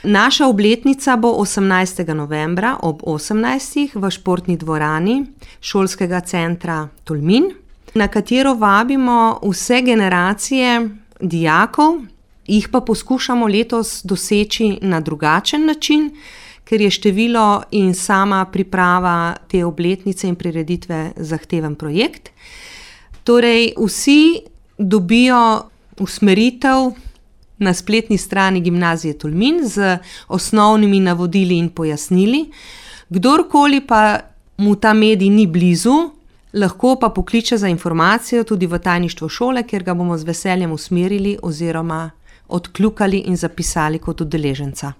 Naša obletnica bo 18. novembra ob 18. v športni dvorani Šolskega centra Tolmin, na katero vabimo vse generacije dijakov, jih pa poskušamo letos doseči na drugačen način, ker je število in sama priprava te obletnice in prireditve zahteven projekt. Torej, vsi dobijo usmeritev na spletni strani Gimnazije Tolmin z osnovnimi navodili in pojasnili. Kdorkoli pa mu ta medij ni blizu, lahko pa pokliče za informacijo tudi v tajništvo šole, kjer ga bomo z veseljem usmerili oziroma odkljukali in zapisali kot udeleženca.